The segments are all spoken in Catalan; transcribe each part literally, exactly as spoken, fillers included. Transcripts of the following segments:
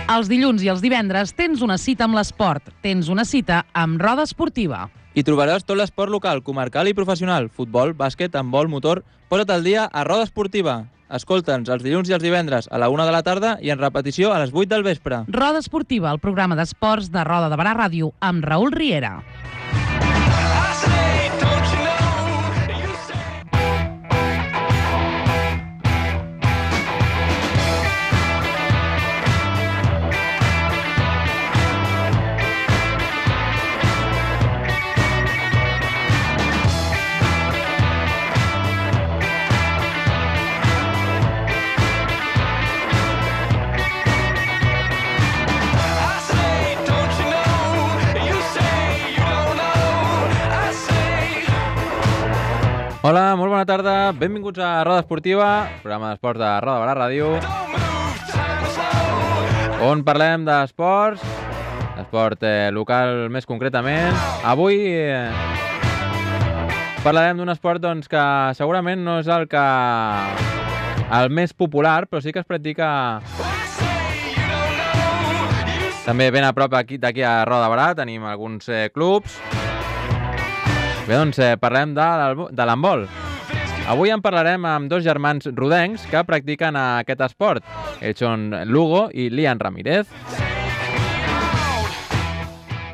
Els dilluns i els divendres tens una cita amb l'esport. Tens una cita amb Roda Esportiva. Hi trobaràs tot l'esport local, comarcal i professional. Futbol, bàsquet, handbol, motor... Posa't al dia a Roda Esportiva. Escolta'ns els dilluns i els divendres a la una de la tarda i en repetició a les vuit del vespre. Roda Esportiva, el programa d'esports de Roda de Barà Ràdio amb Raül Riera. Hola, molt bona tarda, benvinguts a Roda Esportiva, programa d'esports de Roda de Barà Ràdio, on parlem d'esports, d'esport eh, local més concretament. Avui eh, parlarem d'un esport doncs, que segurament no és el que el més popular, però sí que es practica també ben a prop d'aquí a Roda de Barà. Tenim alguns eh, clubs. Bé, doncs eh, parlem de, de l'handbol. Avui en parlarem amb dos germans rodencs que practiquen aquest esport. Ells són l'Hugo i l'Ian Ramírez.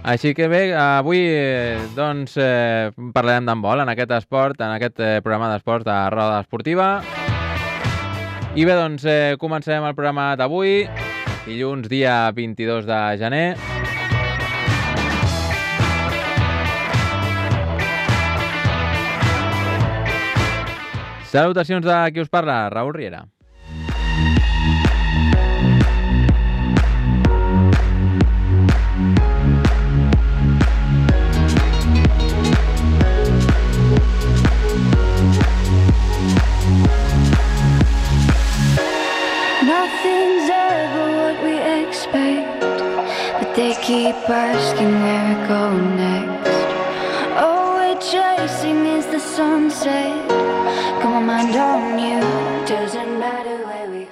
Així que bé, avui eh, doncs, eh, parlarem d'handbol en aquest esport, en aquest eh, programa d'esports de Roda Esportiva. I bé, doncs eh, comencem el programa d'avui, dilluns dia vint-i-dos de gener. Salutacions de qui us parla, Raül Riera. Nothing's ever what we expect, but they keep asking where we're going next. All we're chasing is the sunset.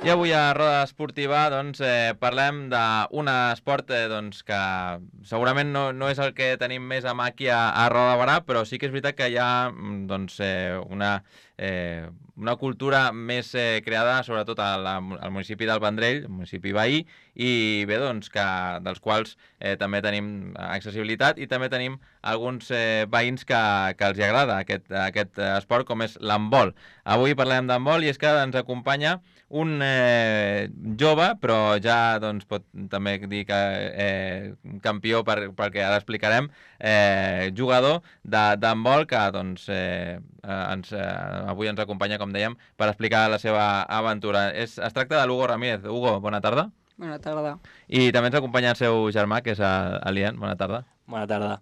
I avui a Roda Esportiva doncs, eh, parlem d'un esport eh, doncs, que segurament no, no és el que tenim més a mà aquí a, a Roda de Barà, però sí que és veritat que hi ha doncs, eh, una, eh, una cultura més eh, creada sobretot al, al municipi del Vendrell, el municipi veí, i bé, doncs, que, dels quals eh, també tenim accessibilitat i també tenim alguns eh, veïns que, que els hi agrada aquest, aquest esport, com és l'handbol. Avui parlem d'handbol i és que ens acompanya un eh, jove, però ja doncs, pot també dir que eh, campió, per, perquè ara explicarem, eh, jugador d'handbol que doncs, eh, ens, eh, avui ens acompanya, com dèiem, per explicar la seva aventura. Es, es tracta de l'Hugo Ramírez. Hugo, bona tarda. Bona tarda. I també ens acompanya el seu germà, que és l'Ian. Bona tarda. Bona tarda.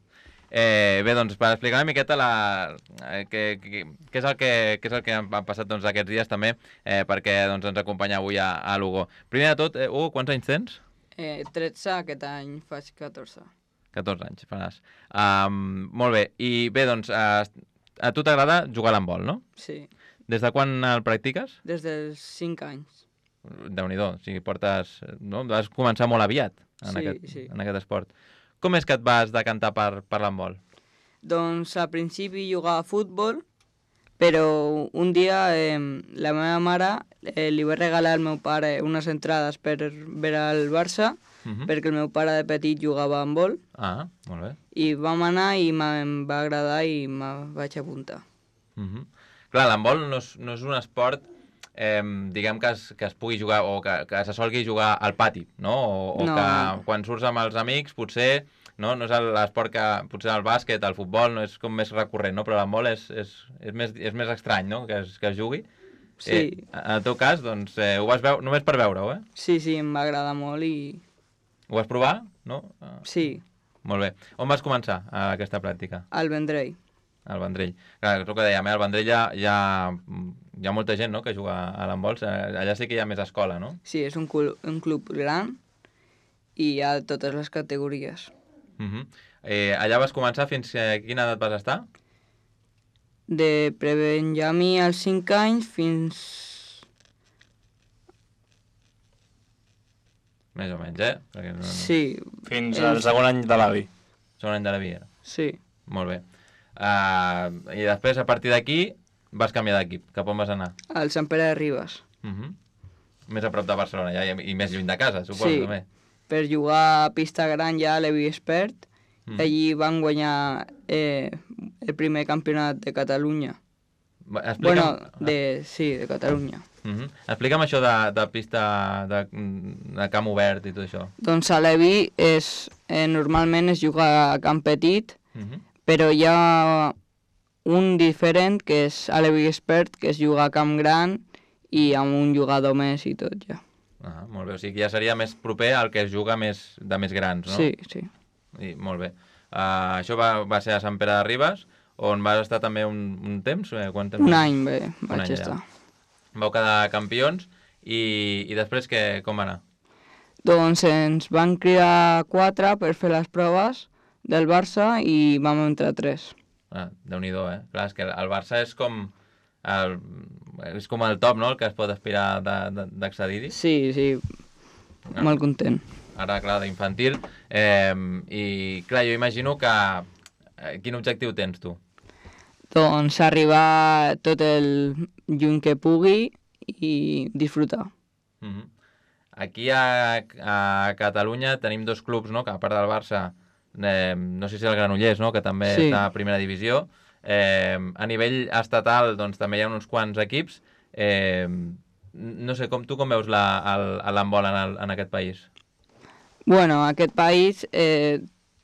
Eh, bé, doncs, per explicar una miqueta la, eh, què, què, què, és el que, què és el que han passat doncs, aquests dies també, eh, perquè doncs, ens acompanya avui a, a l'Hugo. Primer de tot, eh, Hugo, quants anys tens? Eh, tretze, aquest any faig catorze. catorze anys, faràs. Um, molt bé, i bé, doncs, a, a tu t'agrada jugar a l'handbol, no? Sí. Des de quan el practiques? Des dels cinc anys. Déu-n'hi-do, o sigui, portes... No? Vas començar molt aviat en, sí, aquest, sí. en aquest esport. Com és que et vas decantar per, per l'handbol? Doncs al principi jugava a futbol, però un dia eh, la meva mare eh, li va regalar al meu pare unes entrades per veure el Barça, uh -huh. perquè el meu pare de petit jugava a handbol. Ah, molt bé. I vam anar i em va agradar i me vaig apuntar. Uh -huh. Clar, l'handbol no és, no és un esport eh, diguem que es, que es pugui jugar o que, que se solgui jugar al pati, no? O, o no. que quan surts amb els amics potser no, no és l'esport que potser el bàsquet, el futbol no és com més recurrent, no? Però l'handbol és, és, és, més, és més estrany, no? Que es, que es jugui. Sí. Eh, en el teu cas, doncs, eh, ho vas veure només per veure-ho, eh? Sí, sí, em va agradar molt i... Ho vas provar, no? Sí. Molt bé. On vas començar aquesta pràctica? Al Vendrell. Al Vendrell. Clar, és el que dèiem, eh? Al Vendrell hi ha, hi ha, hi ha molta gent, no?, que juga a l'handbol. Allà sí que hi ha més escola, no? Sí, és un club, un club gran i hi ha totes les categories. Uh-huh. eh, allà vas començar fins a quina edat vas estar? De prebenjamí als cinc anys fins... Més o menys, eh? Perquè no, no... Sí. Fins al segon any de l'avi. Segon any de la vida. Sí. Molt bé. Uh, I després, a partir d'aquí, vas canviar d'equip. Cap on vas anar? Al Sant Pere de Ribes. Uh -huh. Més a prop de Barcelona, ja, i més lluny de casa, suposo, sí. també. Per jugar a pista gran ja a Levi Expert, Mm. allí van guanyar eh, el primer campionat de Catalunya. Explica'm... Bueno, de, sí, de Catalunya. Uh -huh. Explica'm això de, de pista de, de camp obert i tot això. Doncs a Levi és, eh, normalment es juga a camp petit, Uh -huh. però hi ha un diferent que és a Levi Expert, que es juga a camp gran i amb un jugador més i tot ja. Ah, molt bé, o sigui que ja seria més proper al que es juga més, de més grans, no? Sí, sí. I, molt bé. Uh, això va, va ser a Sant Pere de Ribes, on vas estar també un, un temps? Eh, quant temps? Un any bé, Un vaig any estar. allà. Vau quedar campions i, i després que, com va anar? Doncs ens van cridar quatre per fer les proves del Barça i vam entrar tres. Ah, Déu-n'hi-do, eh? Clar, és que el Barça és com el, és com el top, no?, el que es pot aspirar d'accedir-hi. Sí, sí, Ah. molt content. Ara, clar, d'infantil. Eh, I, clar, jo imagino que... Eh, quin objectiu tens, tu? Doncs arribar tot el lluny que pugui i disfrutar. Uh -huh. Aquí a, a Catalunya tenim dos clubs, no?, que a part del Barça, eh, no sé si el Granollers, no?, que també Sí. està a primera divisió. Eh, a nivell estatal, doncs, també hi ha uns quants equips. Eh, no sé, com tu com veus l'handbol en, el, en aquest país? Bueno, aquest país, eh,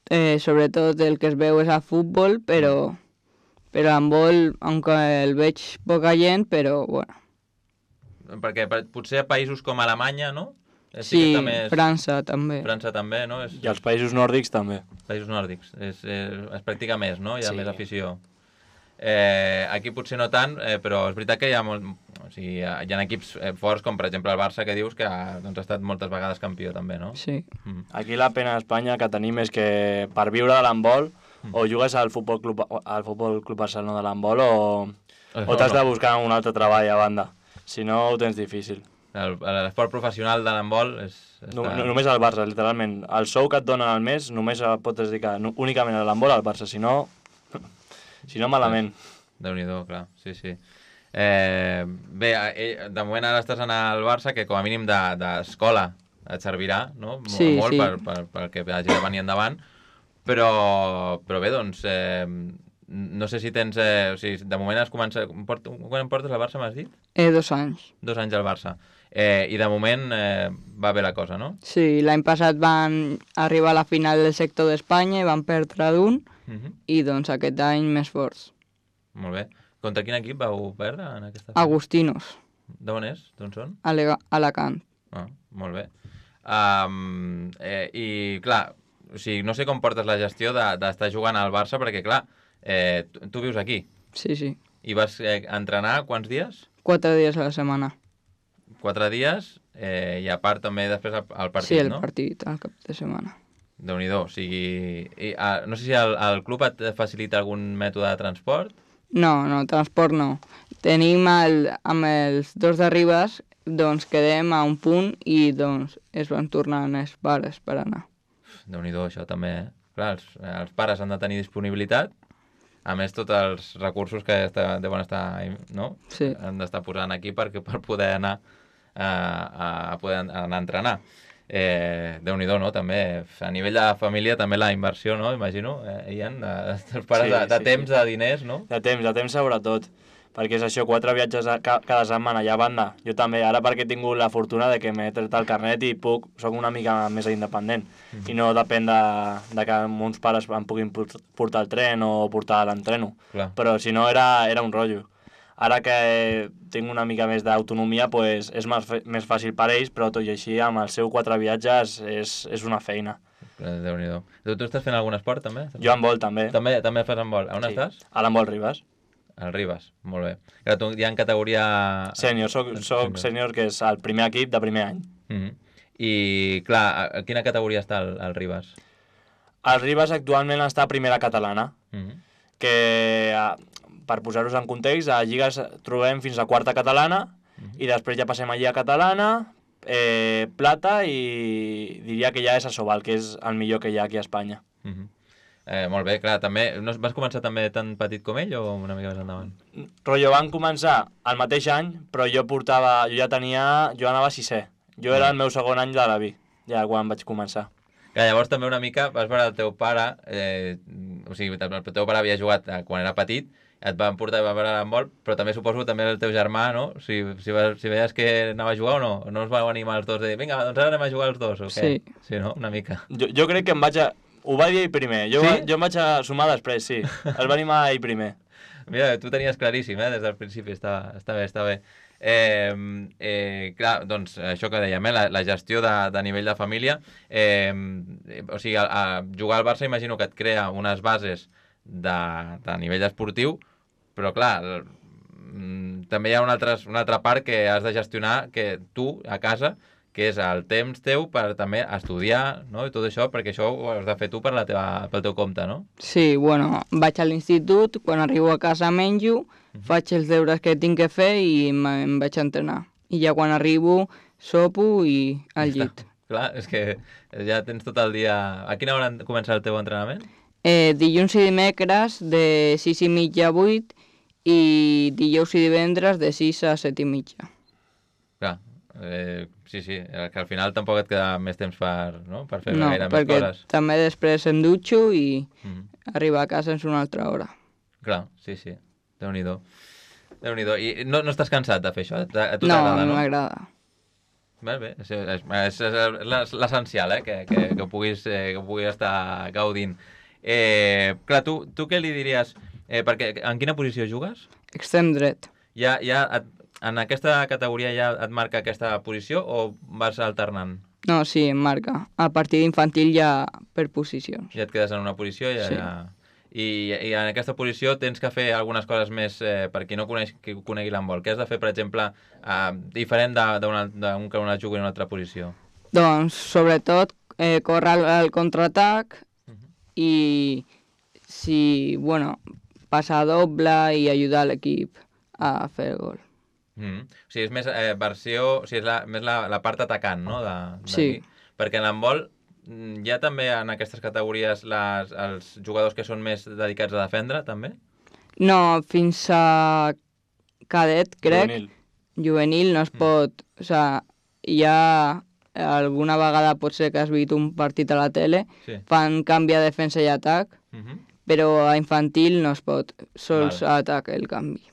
eh, sobretot el que es veu és a futbol, però, però handbol, aunque el veig poca gent, però bueno. Perquè per, potser a països com Alemanya, no? Eh, Sí, que està més... França també. França també, no? És... I els països nòrdics també. Països nòrdics. És, és, es practica més, no? Hi ha Sí. més afició. Eh, aquí potser no tant, eh, però és veritat que hi ha, molt, o sigui, hi ha, hi ha equips eh, forts, com per exemple el Barça, que dius que ha, doncs, ha estat moltes vegades campió també, no? Sí. Mm. Aquí la pena a Espanya que tenim és que per viure de l'handbol o jugues al Futbol Club, al Futbol Club Barcelona de l'handbol o, o t'has de buscar un altre treball a banda. Si no, ho tens difícil. El- L'esport professional de l'handbol és... No, no, només al Barça, literalment. El sou que et donen al mes només el pots dedicar no, únicament a l'handbol al Barça, si no... si no, malament. Déu-n'hi-do, clar, sí, sí. Eh, bé, eh, de moment ara estàs anar al Barça, que com a mínim de- d'escola et servirà, no? Mo- Sí, molt sí. per, per, per que hagi de venir endavant, però, però bé, doncs, eh, no sé si tens... Eh, o sigui, de moment has començat... Port, quan em portes al Barça, m'has dit? Eh, dos anys. Dos anys al Barça. Eh, I de moment eh, va bé la cosa, no? Sí, l'any passat van arribar a la final del sector d'Espanya i van perdre d'un, Uh -huh. i doncs aquest any més forts. Molt bé. Contra quin equip vau perdre en aquesta final? Agustinos, D'on és? D'on són? a Lega- Alacant. Ah, molt bé. Um, eh, I, clar, o sigui, no sé com portes la gestió de- d'estar jugant al Barça, perquè, clar, eh, tu, tu vius aquí Sí, sí. i vas eh, entrenar quants dies? Quatre dies a la setmana. Quatre dies, eh, i a part també després el, el partit, Sí, el no? partit al cap de setmana. Déu-n'hi-do, o sigui... I, ah, no sé si el, el club et facilita algun mètode de transport? No, no, transport no. Tenim el, amb els dos d'arribes, doncs quedem a un punt i doncs es van tornant els pares per anar. Déu-n'hi-do, això també, eh? Clar, els, els pares han de tenir disponibilitat, a més tots els recursos que està, deuen estar, no? Sí. Han d'estar posant aquí perquè, per poder anar a, a poder anar a entrenar. Eh, Déu-n'hi-do, no? També, a nivell de família, també la inversió, no? Imagino, eh, Ian, de, dels pares, Sí, de, de sí, temps, sí. de diners, no? De temps, de temps sobretot. Perquè és això, quatre viatges a, ca, cada setmana, ja a banda. Jo també, ara perquè he tingut la fortuna de que m'he tret el carnet i puc, soc una mica més independent. Mm-hmm. I no depèn de, de que uns pares em puguin port- portar el tren o portar l'entreno. Clar. Però si no, era, era un rotllo. Ara que tinc una mica més d'autonomia, pues, és més, fe- més fàcil per ells, però tot i així, amb els seus quatre viatges, és, és una feina. Eh, Déu-n'hi-do. Tu, tu estàs fent algun esport, també? Jo en vol, també. També, també fas handbol. A on estàs? A l'Handbol Ribes. Al Ribes, molt bé. Clar, tu ja en categoria... Sènior, soc, soc sènior, que és el primer equip de primer any. Mm -hmm. I, clar, a, a quina categoria està el, el Ribes? El Ribes actualment està a primera catalana, Mm -hmm. que, eh, per posar-vos en context, a lligues trobem fins a quarta catalana, i després ja passem a lliga catalana, eh, plata i diria que ja és Asobal, que és el millor que hi ha aquí a Espanya. Uh-huh. eh, molt bé, clar, també... No, vas començar també tan petit com ell o una mica més endavant? Rotllo, van començar el mateix any, però jo portava... Jo ja tenia... Jo anava a sisè. Jo era el meu segon any de la B, ja quan vaig començar. Clar, llavors també una mica vas veure el teu pare... Eh, o sigui, el teu pare havia jugat quan era petit, et van portar a veure l'handbol, però també suposo també el teu germà, no? Si, si, si veies que anava a jugar o no, no us vau animar els dos de dir, vinga, doncs ara anem a jugar els dos, o què? Sí. Sí, no? Una mica. Jo, jo crec que em vaig a... Ho va dir ell primer, jo, sí? va, jo em vaig a sumar després, sí. Es va animar ell primer. Mira, tu tenies claríssim, eh? Des del principi, està, està bé, està bé. Eh, eh, clar, doncs això que dèiem, eh? la, la gestió de, de nivell de família, eh, o sigui, a, a jugar al Barça imagino que et crea unes bases de, de nivell esportiu, però clar, també hi ha una altra, una altra part que has de gestionar que tu, a casa, que és el temps teu per també estudiar, no? I tot això, perquè això ho has de fer tu per la teva, pel teu compte, no? Sí, bueno, vaig a l'institut, quan arribo a casa menjo, uh-huh. faig els deures que tinc que fer i em vaig a entrenar. I ja quan arribo, sopo i al llit. Clar, és que ja tens tot el dia... A quina hora comença el teu entrenament? Eh, dilluns i dimecres de sis i mitja a vuit i dijous i divendres de sis a set i mitja. Clar, eh, sí, sí, que al final tampoc et queda més temps per, no? per fer no, gaire més coses. No, perquè també després em dutxo i mm-hmm. arribar a casa en una altra hora. Clar, sí, sí, Déu-n'hi-do. Déu-n'hi-do. I no, no estàs cansat de fer això? A tu no, t'agrada, no? no m'agrada. Bé, bé, és, és, és, és l'essencial, eh? que, que, que, puguis, eh, que puguis estar gaudint. Eh, clar, tu, tu què li diries? Eh, perquè en quina posició jugues? Extrem dret. Ja, ja et, en aquesta categoria ja et marca aquesta posició o vas alternant? No, sí, em marca. A partir d'infantil ja per posicions. Ja et quedes en una posició i ja... Sí. ja... I, I en aquesta posició tens que fer algunes coses més eh, per qui no coneix, qui conegui l'handbol. Què has de fer, per exemple, eh, diferent d'un que una jugui en una altra posició? Doncs, sobretot, eh, córrer al, al contraatac uh-huh. i, si, bueno, passar doble i ajudar l'equip a fer el gol. Mm-hmm. O sigui, és més eh, versió... O sigui, és la, més la, la part atacant, no? De, sí. Perquè en l'handbol hi ha també en aquestes categories les, els jugadors que són més dedicats a defendre, també? No, fins a cadet, crec. Juvenil. Juvenil no es mm. pot... O sigui, hi ha... Alguna vegada pot ser que has vist un partit a la tele, sí. fan canvi a defensa i atac, mm-hmm. però a infantil no es pot, sols vale. A atac el canvi.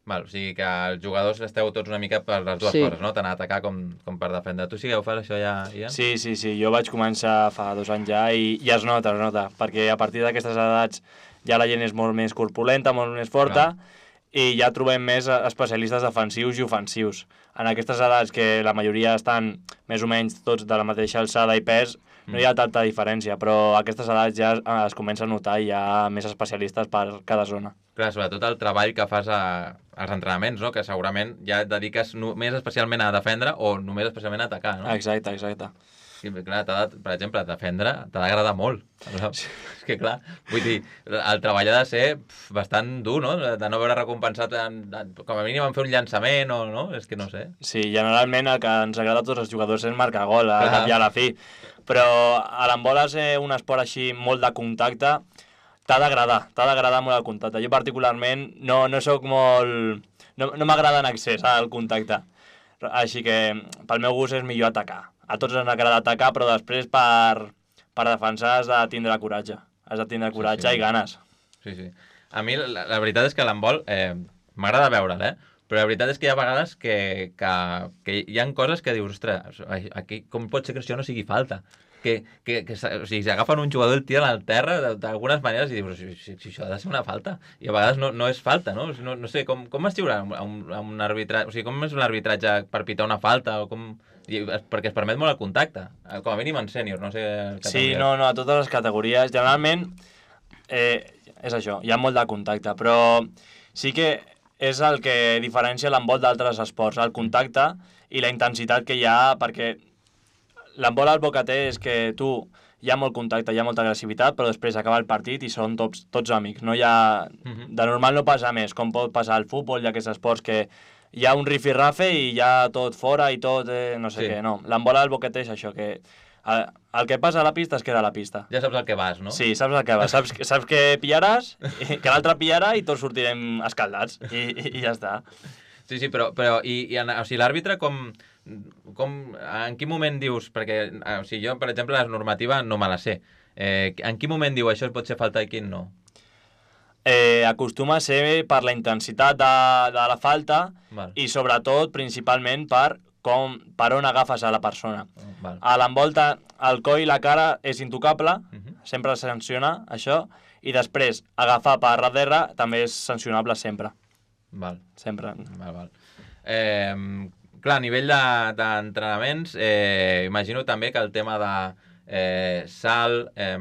Val, o sigui que els jugadors esteu tots una mica per les dues sí. coses, no? Tant a atacar com, com per defendre. Tu sí que ho fas, això ja, Ian? Sí, sí, sí. Jo vaig començar fa dos anys ja i, i es nota, es nota, perquè a partir d'aquestes edats ja la gent és molt més corpulenta, molt més forta, no. i ja trobem més especialistes defensius i ofensius. En aquestes edats, que la majoria estan més o menys tots de la mateixa alçada i pes, no hi ha tanta diferència, però a aquestes edats ja es comença a notar i hi ha més especialistes per cada zona. Clar, sobretot el treball que fas a, als entrenaments, no? Que segurament ja et dediques només especialment a defendre o només especialment a atacar, no? Exacte, exacte. Sí, clar, de, per exemple, defendre t'ha d'agradar molt. Sí. És que, clar, vull dir, el treball ha de ser pf, bastant dur, no? De no veure recompensat, en, en, com a mínim en fer un llançament o no? És que no sé. Sí, generalment el que ens agrada a tots els jugadors és marcar gol a cap i a la fi. Però a l'handbol ser un esport així molt de contacte, t'ha d'agradar, t'ha d'agradar molt el contacte. Jo particularment no, no soc molt... No, no m'agrada en excés el contacte. Així que pel meu gust és millor atacar. A tots ens agrada atacar, però després per, per defensar has de tindre coratge. Has de tindre coratge sí, sí. i ganes. Sí, sí. A mi la, la veritat és que l'handbol eh, m'agrada veure'l, eh? Però la veritat és que hi ha vegades que, que, que hi ha coses que dius, ostres, aquí, com pot ser que això no sigui falta? Que, que, que o sigui, s'agafen un jugador i el tiren al terra d'algunes maneres i dius, si, si, si això ha de ser una falta. I a vegades no, no és falta, no? No, no sé, com, com es xiurà un, un arbitratge? O sigui, com és un arbitratge per pitar una falta? O com... I, perquè es permet molt el contacte, com a mínim en sènior, no sé... Sí, no, no, a totes les categories. Generalment, eh, és això, hi ha molt de contacte, però sí que és el que diferencia l'handbol d'altres esports, el contacte i la intensitat que hi ha, perquè l'handbol al bo que té és que tu hi ha molt contacte, hi ha molta agressivitat, però després acaba el partit i són tots, tots amics. No hi ha... Uh-huh. De normal no passa més, com pot passar al futbol i aquests esports que hi ha un rifirrafe i ja tot fora i tot, eh, no sé Sí. què, no. L'embola del boquete és això, que el, el que passa a la pista es queda a la pista. Ja saps el que vas, no? Sí, saps el que va, saps, saps que pillaràs, que l'altre pillarà i tots sortirem escaldats i, i, i ja està. Sí, sí, però, però i, i en, o sigui, l'àrbitre com, com, en quin moment dius, perquè o sigui, jo, per exemple, la normativa no me la sé, eh, en quin moment diu això pot ser falta i quin no? Eh, acostuma a ser per la intensitat de, de la falta Val. i sobretot, principalment, per, com, per on agafes a la persona. Val. A l'envolta, el coll i la cara és intocable, Uh -huh. sempre es sanciona això, i després agafar per darrere també és sancionable sempre. Val. Sempre. Val, val. Eh, clar, a nivell de- d'entrenaments, eh, imagino també que el tema de eh, salt, eh,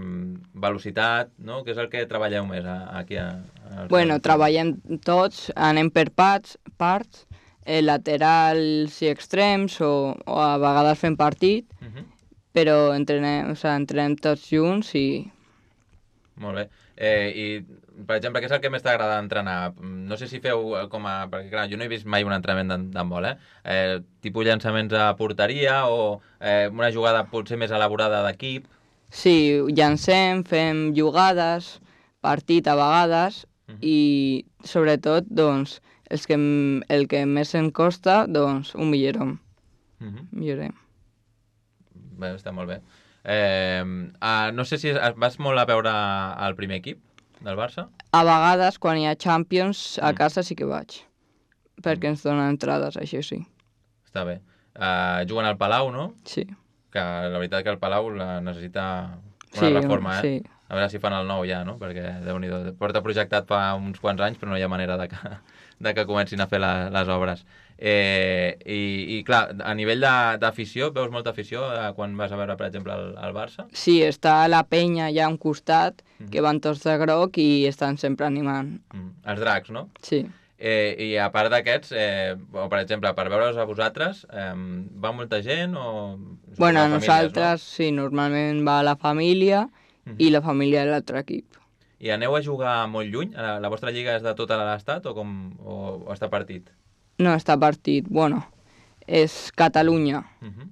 velocitat, no? Que és el que treballeu més a, aquí a, a... Bueno, treballem tots, anem per parts, parts eh, laterals i extrems, o, o a vegades fem partit, Uh -huh. però entrenem, o sigui, entrenem tots junts i... Molt bé. Eh, I, per exemple, què és el que més t'agrada entrenar? No sé si feu eh, com a... Perquè, clar, jo no he vist mai un entrenament d'han- d'handbol, eh? eh? Tipus llançaments a porteria o eh, una jugada potser més elaborada d'equip? Sí, llancem, fem jugades, partit a vegades, Mhm. i sobretot, doncs, els que, m- el que més ens costa, doncs, ho millorem. Uh -huh. millorem. Bé, està molt bé. Eh, ah, no sé si es- vas molt a veure el primer equip del Barça? A vegades, quan hi ha Champions, a Mm. casa sí que vaig, perquè ens donen entrades, això sí. Està bé. Eh, juguen al Palau, no? Sí. Que la veritat que el Palau la necessita una Sí, reforma, eh? sí. A veure si fan el nou ja, no? Perquè, Déu-n'hi-do, porta projectat fa uns quants anys, però no hi ha manera de que, de que comencin a fer la, les obres. Eh, i, I, clar, a nivell de- d'afició, veus molta afició eh, quan vas a veure, per exemple, el, el Barça? Sí, està la penya allà a un costat, Mhm. que van tots de groc i estan sempre animant. Mm. Els dracs, no? Sí. Eh, I a part d'aquests, eh, o per exemple, per veure'ls a vosaltres, eh, va molta gent o... Bueno, a Famílies, nosaltres, sí, normalment va la família Mhm. i la família de l'altre equip. No? I aneu a jugar molt lluny? La, la vostra lliga és de tota l'estat o, com, o, o està partit? No està partit, bueno, és Catalunya. Uh -huh.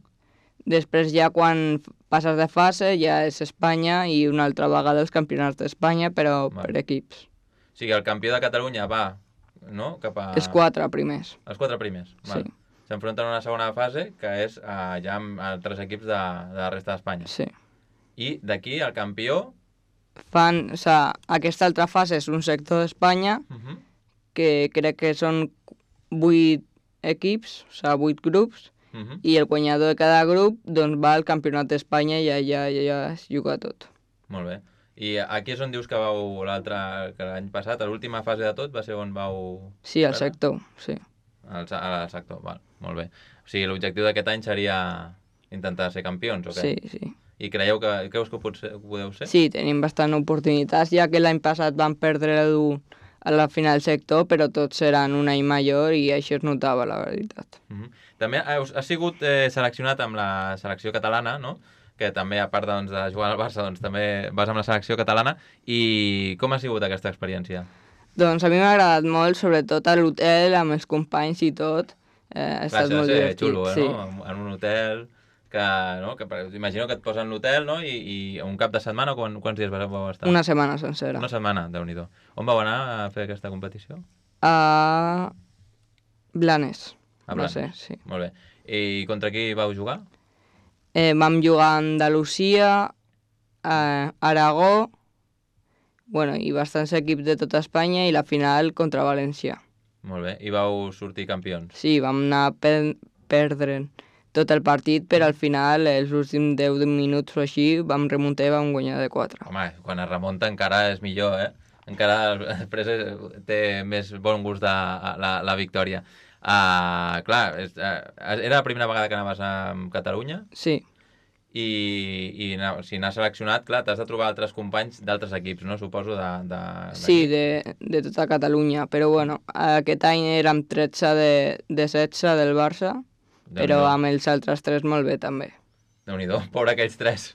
Després ja quan passes de fase ja és Espanya i una altra vegada els campionats d'Espanya, però Val. per equips. O sigui, el campió de Catalunya va, no?, cap a... Els quatre primers. Els quatre primers. Val. Sí. S'enfronten a una segona fase, que és eh, ja amb altres equips de, de la resta d'Espanya. Sí. I d'aquí, el campió... Fan, o sigui, aquesta altra fase és un sector d'Espanya Uh -huh. que crec que són vuit equips, o sigui, vuit grups, Uh -huh. i el guanyador de cada grup doncs va al campionat d'Espanya i allà ja, ja es juga tot. Molt bé. I aquí és on dius que vau l'altre, que l'any passat, a l'última fase de tot, va ser on vau... Sí, al Ara? sector, sí. Al, se- al sector, val, molt bé. O sigui, l'objectiu d'aquest any seria intentar ser campions, o què? Sí, sí. I creieu que, creus que ho, pot ser, ho podeu ser? Sí, tenim bastant oportunitats, ja que l'any passat vam perdre a la final sector, però tots eren un any major i això es notava, la veritat. Uh -huh. També has, has sigut eh, seleccionat amb la selecció catalana, no? Que també, a part doncs, de jugar al Barça, doncs, també vas amb la selecció catalana. I com ha sigut aquesta experiència? Doncs a mi m'ha agradat molt, sobretot a l'hotel, amb els companys i tot. Eh, ha Clar, estat això molt deu ser divertit. xulo, eh, sí. no? En un hotel, que, no? que per- imagino que et posen l'hotel, no? I, I un cap de setmana, quan, quants dies vau vau estar? Una setmana sencera. Una setmana, Déu-n'hi-do. On vau anar a fer aquesta competició? A Blanes. A No Blanes. sé, sí. Molt bé. I contra qui vau jugar? Eh, vam jugar a Andalusia, a Aragó, bueno, i bastants equips de tota Espanya, i la final contra València. Molt bé. I vau sortir campions? Sí, vam anar per perdre'n tot el partit, però al final, els últims deu minuts o així, vam remuntar i vam guanyar de quatre. Home, quan es remunta encara és millor, eh? Encara després és- té més bon gust de la, la victòria. Uh, clar, és, uh, era la primera vegada que anaves a Catalunya Sí, i, i na- si n'has seleccionat, clar, t'has de trobar altres companys d'altres equips, no? Suposo de... de sí, de, de tota Catalunya, però bueno, aquest any érem tretze de, de setze del Barça, però amb els altres tres molt bé també. Déu-n'hi-do, pobre aquells tres.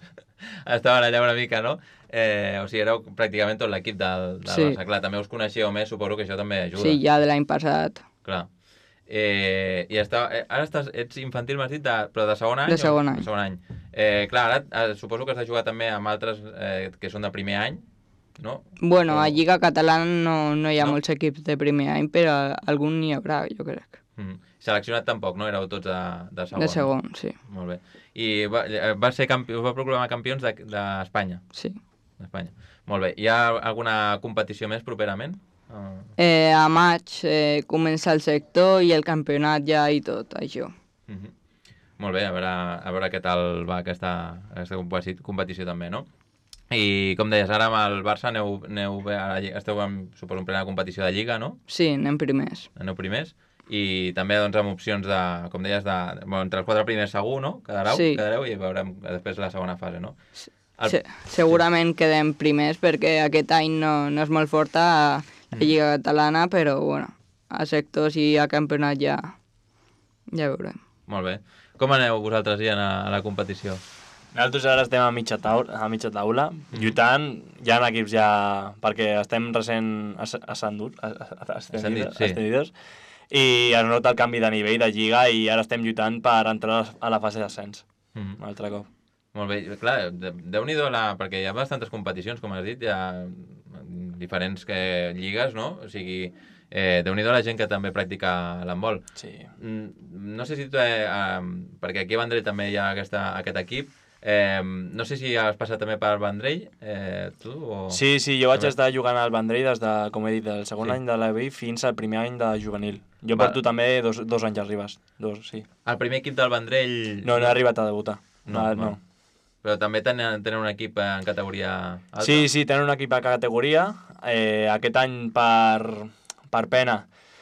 Estaven allà una mica, no? Eh, o sigui, éreu pràcticament tot l'equip del, del Sí. Barça. Clar, també us coneixeu més, suposo que això també ajuda. Sí, ja de l'any passat. Clar. Eh, i està, eh, ara estàs, ets infantil, m'has dit, de, però de segon any? De segon o? any. De segon any. Eh, clar, ara eh, suposo que has de jugar també amb altres eh, que són de primer any, no? Bueno, o... a Lliga Catalana no, no hi ha No? molts equips de primer any, però algun n'hi haurà, jo crec. Mm. Seleccionat tampoc, no? Éreu tots de, de segon. De segon, sí. Molt bé. I va, va ser campi... va proclamar campions d'Espanya? De, sí. D'Espanya. Molt bé. Hi ha alguna competició més properament? Uh... Eh, a maig eh, comença el sector i el campionat ja i tot, això. Uh -huh. Molt bé, a veure, a veure què tal va aquesta, aquesta competició també, no? I com deies, ara amb el Barça aneu, aneu bé, ara esteu en, suposo, en plena competició de Lliga, no? Sí, anem primers. Aneu primers. I també doncs, amb opcions de, com deies, de, bueno, entre els quatre primers segur, no? Quedareu, sí. quedareu i veurem després la segona fase, no? El... Se segurament sí. quedem primers perquè aquest any no, no és molt forta a la Lliga Catalana, però bueno, a sectors i a campionat ja, ja veurem. Molt bé. Com aneu vosaltres ja a, a la competició? Nosaltres ara estem a mitja taula, a mitja taula mm. lluitant, hi ha equips ja, perquè estem recent ascenduts, ascendidos, sí. ascendidos, i es nota el canvi de nivell de Lliga i ara estem lluitant per entrar a la fase d'ascens, mm. un altre cop. Molt bé, clar, déu-n'hi-do, la... perquè hi ha bastantes competicions, com has dit, hi ha diferents que... lligues, no? O sigui, eh, déu-n'hi-do la gent que també practica l'handbol. Sí. No sé si tu, eh, eh, perquè aquí a Vendrell també hi ha aquesta, aquest equip, eh, no sé si has passat també per Vendrell, eh, tu? O... Sí, sí, jo vaig també estar jugant al Vendrell des de, com he dit, del segon sí. any de l'E B I fins al primer any de juvenil. Jo Va. porto també dos, dos anys arribes, dos, sí. El primer equip del Vendrell... No, no he arribat a debutar. No, no. no. Però també tenen, tenen un equip en categoria alta? Sí, sí, tenen un equip a categoria. Eh, aquest any, per, per pena,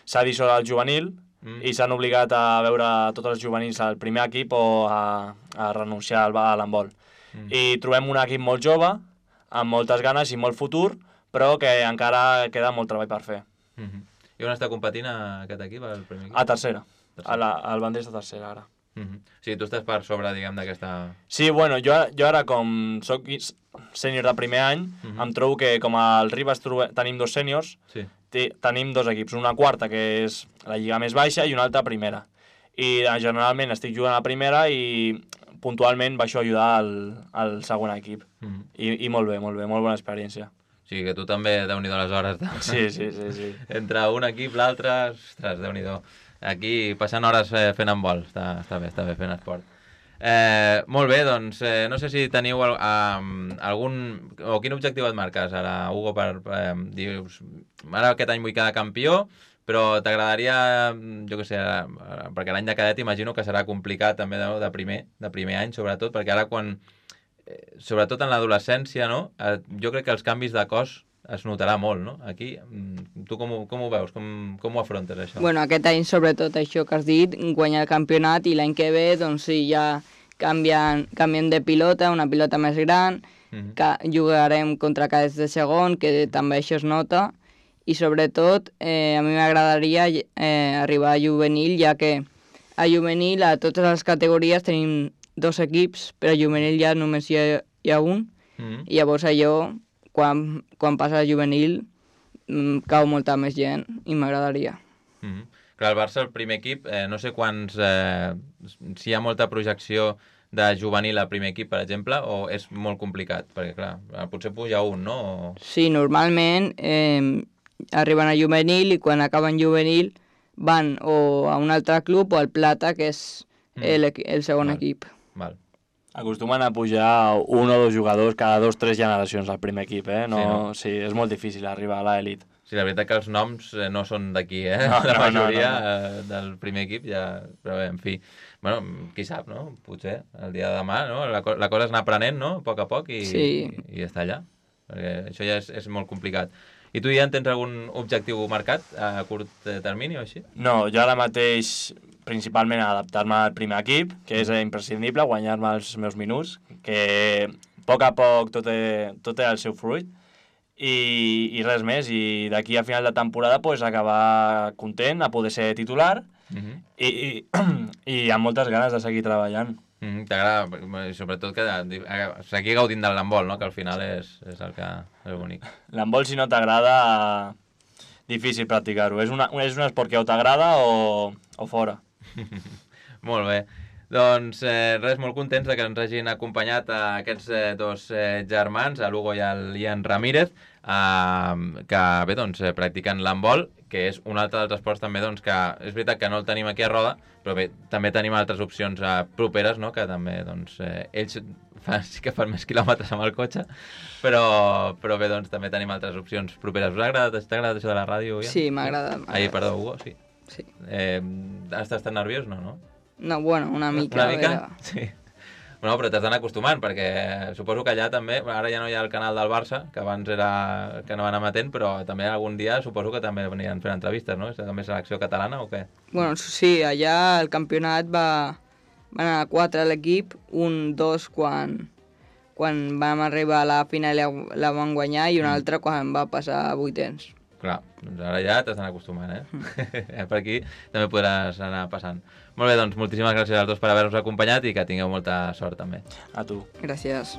s'ha dissolt el juvenil mm. i s'han obligat a veure tots els juvenils al primer equip o a, a renunciar al, a l'handbol. Mm. I trobem un equip molt jove, amb moltes ganes i molt futur, però que encara queda molt treball per fer. Mm -hmm. I on està competint aquest equip, el primer equip? A tercera. tercera. A la, al Vendrell de tercera, ara. Mm -hmm. O sigui, tu estàs per sobre, diguem, d'aquesta... Sí, bueno, jo, jo ara, com soc sènior de primer any, mm -hmm. em trobo que com al Ribes tenim dos sèniors, sí. tenim dos equips, una quarta, que és la lliga més baixa, i una altra primera. I generalment estic jugant a primera i puntualment baixo a ajudar al, al segon equip. Mm -hmm. I, I molt bé, molt bé, molt bona experiència. O sigui que tu també, déu-n'hi-do les hores. De... Sí, sí, sí, sí. Entre un equip, l'altre, ostres, déu-n'hi-do. Aquí passant hores eh, fent handbol, està, està bé, està bé fent esport. Eh, molt bé, doncs, eh, no sé si teniu el, eh, algun... o quin objectiu et marques ara, Hugo, per... Eh, dius, ara aquest any vull quedar campió, però t'agradaria, jo què sé, perquè l'any de cadet imagino que serà complicat també de, de, primer, de primer any, sobretot, perquè ara quan... Eh, sobretot en l'adolescència, no? Eh, jo crec que els canvis de cos es notarà molt, no? Aquí, tu com ho, com ho veus? Com, com ho afrontes, això? Bueno, aquest any, sobretot, això que has dit, guanyar el campionat, i l'any que ve, doncs sí, ja canvien, canvien de pilota, una pilota més gran, mm-hmm. que jugarem contra cadets de segon, que també això es nota, i sobretot, eh, a mi m'agradaria eh, arribar a juvenil, ja que a juvenil, a totes les categories, tenim dos equips, però a juvenil ja només hi ha, hi ha un, mm-hmm. i llavors allò... Quan, quan passa a juvenil cau molta més gent i m'agradaria. Mm -hmm. Clar, el Barça, el primer equip, eh, no sé quants... Eh, si hi ha molta projecció de juvenil al primer equip, per exemple, o és molt complicat? Perquè, clar, potser puja un, no? O... Sí, normalment eh, arriben a juvenil i quan acaben juvenil van o a un altre club o al Plata, que és mm. el, el segon Val. equip. Val. Acostumen a pujar un o dos jugadors cada dos o tres generacions al primer equip, eh? No, sí, no? Sí, és molt difícil arribar a l'elit. Sí, la veritat que els noms eh, no són d'aquí, eh? No, la no, majoria no, no, no. Eh, del primer equip ja... Però bé, en fi, bueno, qui sap, no? Potser el dia de demà, no? La, la cosa és anar aprenent, no? A poc a poc i, sí. i, i està allà. Perquè això ja és, és molt complicat. I tu ja en tens algun objectiu marcat a curt termini o així? No, jo ara mateix principalment adaptar-me al primer equip, que és imprescindible, guanyar-me els meus minuts, que a poc a poc tot té, tot té el seu fruit, i, i res més. I d'aquí a final de temporada pues, acabar content, a poder ser titular, uh-huh. i, i, i amb moltes ganes de seguir treballant. Mm, T'agrada, sobretot, que seguir gaudint del handbol, no? Que al final és, és el que és bonic. L'handbol, si no t'agrada, difícil practicar-ho. És, una, és un esport que o t'agrada o, o fora. Molt bé. Doncs eh, res, molt contents de que ens hagin acompanyat a aquests eh, dos eh, germans, a l'Hugo i al Ian Ramírez, eh, que bé, doncs, eh, practiquen l'handbol, que és un altre dels esports també, doncs, que és veritat que no el tenim aquí a Roda, però bé, també tenim altres opcions eh, properes, no?, que també, doncs, eh, ells fan, sí que fan més quilòmetres amb el cotxe, però, però bé, doncs, també tenim altres opcions properes. Us ha agradat, t'ha agradat això de la ràdio, Ian? Sí, m'ha agradat. Ai, perdó, Hugo, sí. Sí. Eh, estàs tan nerviós? No, no? No, bueno, una mica. Una mica? Era... Sí. Bueno, però t'has d'anar acostumant, perquè suposo que allà també, ara ja no hi ha el canal del Barça, que abans era que no van emetent, però també algun dia suposo que també venien fent entrevistes, no? És també selecció catalana o què? Bueno, sí, allà el campionat va... van anar quatre a l'equip, un, dos quan, quan vam arribar a la final i la van guanyar i un altre quan va passar a vuitens. Clar, doncs ara ja t'has d'anar acostumant, eh? Mm. Per aquí també podràs anar passant. Molt bé, doncs moltíssimes gràcies als dos per haver-nos acompanyat i que tingueu molta sort també. A tu. Gràcies.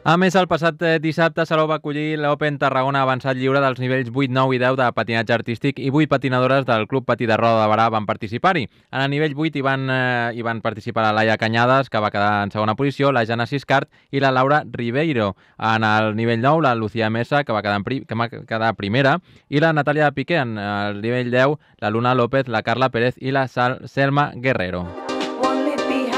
A més, el passat dissabte Salou va acollir l'Open Tarragona avançat lliure dels nivells vuit, nou i deu de patinatge artístic i vuit patinadores del Club Patí de Roda de Barà van participar-hi. En el nivell vuit hi van, eh, hi van participar la Laia Cañadas, que va quedar en segona posició, la Jana Siscart i la Laura Ribeiro. En el nivell nou, la Lucía Mesa, que va quedar, en pri que va quedar primera, i la Natàlia Piqué. En el nivell deu, la Luna López, la Carla Pérez i la Sal Selma Guerrero.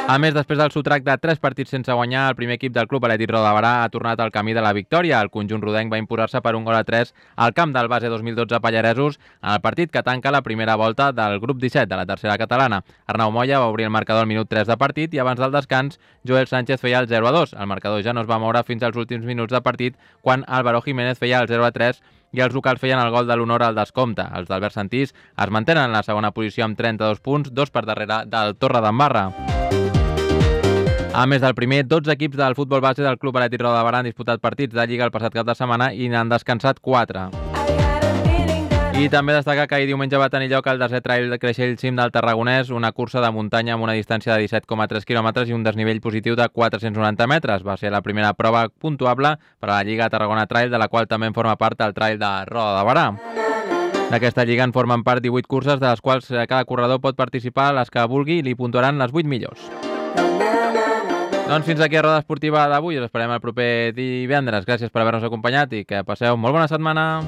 A més, després del sotrac de tres partits sense guanyar, el primer equip del Club Atlètic Roda de Barà ha tornat al camí de la victòria. El conjunt rodenc va imposar-se per un gol a tres al camp del base dos mil dotze Pallaresos en el partit que tanca la primera volta del grup disset de la tercera catalana. Arnau Moya va obrir el marcador al minut tres de partit i abans del descans Joel Sánchez feia el zero a dos. El marcador ja no es va moure fins als últims minuts de partit quan Álvaro Jiménez feia el zero a tres i els locals feien el gol de l'honor al descompte. Els d'Albert Santís es mantenen en la segona posició amb trenta-dos punts, dos per darrere del Torredembarra. A més del primer, dotze equips del futbol base del Club Atlètic Roda de Barà han disputat partits de Lliga el passat cap de setmana i n'han descansat quatre. I també destaca que ahir diumenge va tenir lloc el desè Trail de Creixell Cim del Tarragonès, una cursa de muntanya amb una distància de disset coma tres quilòmetres i un desnivell positiu de quatre-cents noranta metres. Va ser la primera prova puntuable per a la Lliga Tarragona Trail, de la qual també en forma part el Trail de Roda de Barà. D'aquesta lliga en formen part divuit curses, de les quals cada corredor pot participar les que vulgui i li puntuaran les vuit millors. Doncs fins aquí a Roda Esportiva d'avui. Us esperem el proper divendres. Gràcies per haver-nos acompanyat i que passeu molt bona setmana.